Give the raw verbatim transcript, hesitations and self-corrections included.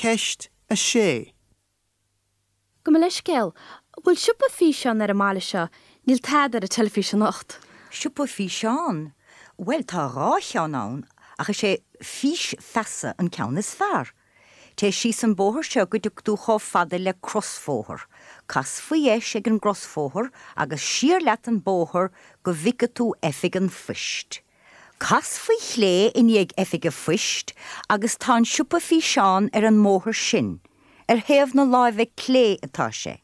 Ceist a sé. Gabh mo leithscéal, bhfuil siopa físeán ar an mbaile seo, níl tada ar an teilifís anocht. Siopa físeán? Well tá dhá cheann ann ach is é Fís Feasa an ceann is fearr. Téigh síos an bóthar seo go dtig tú chomh fada le crosbhóthar. Cas faoi dheis ag an gcrosbhóthar agus siar leat an bóthar go bhfeicfidh tú oifig an phoist. Cas faoi chlé i ndiaidh oifig an phoist agus tá an siopa físeán ar an mbóthar sin, ar thaobh na láimhe clé atá sé.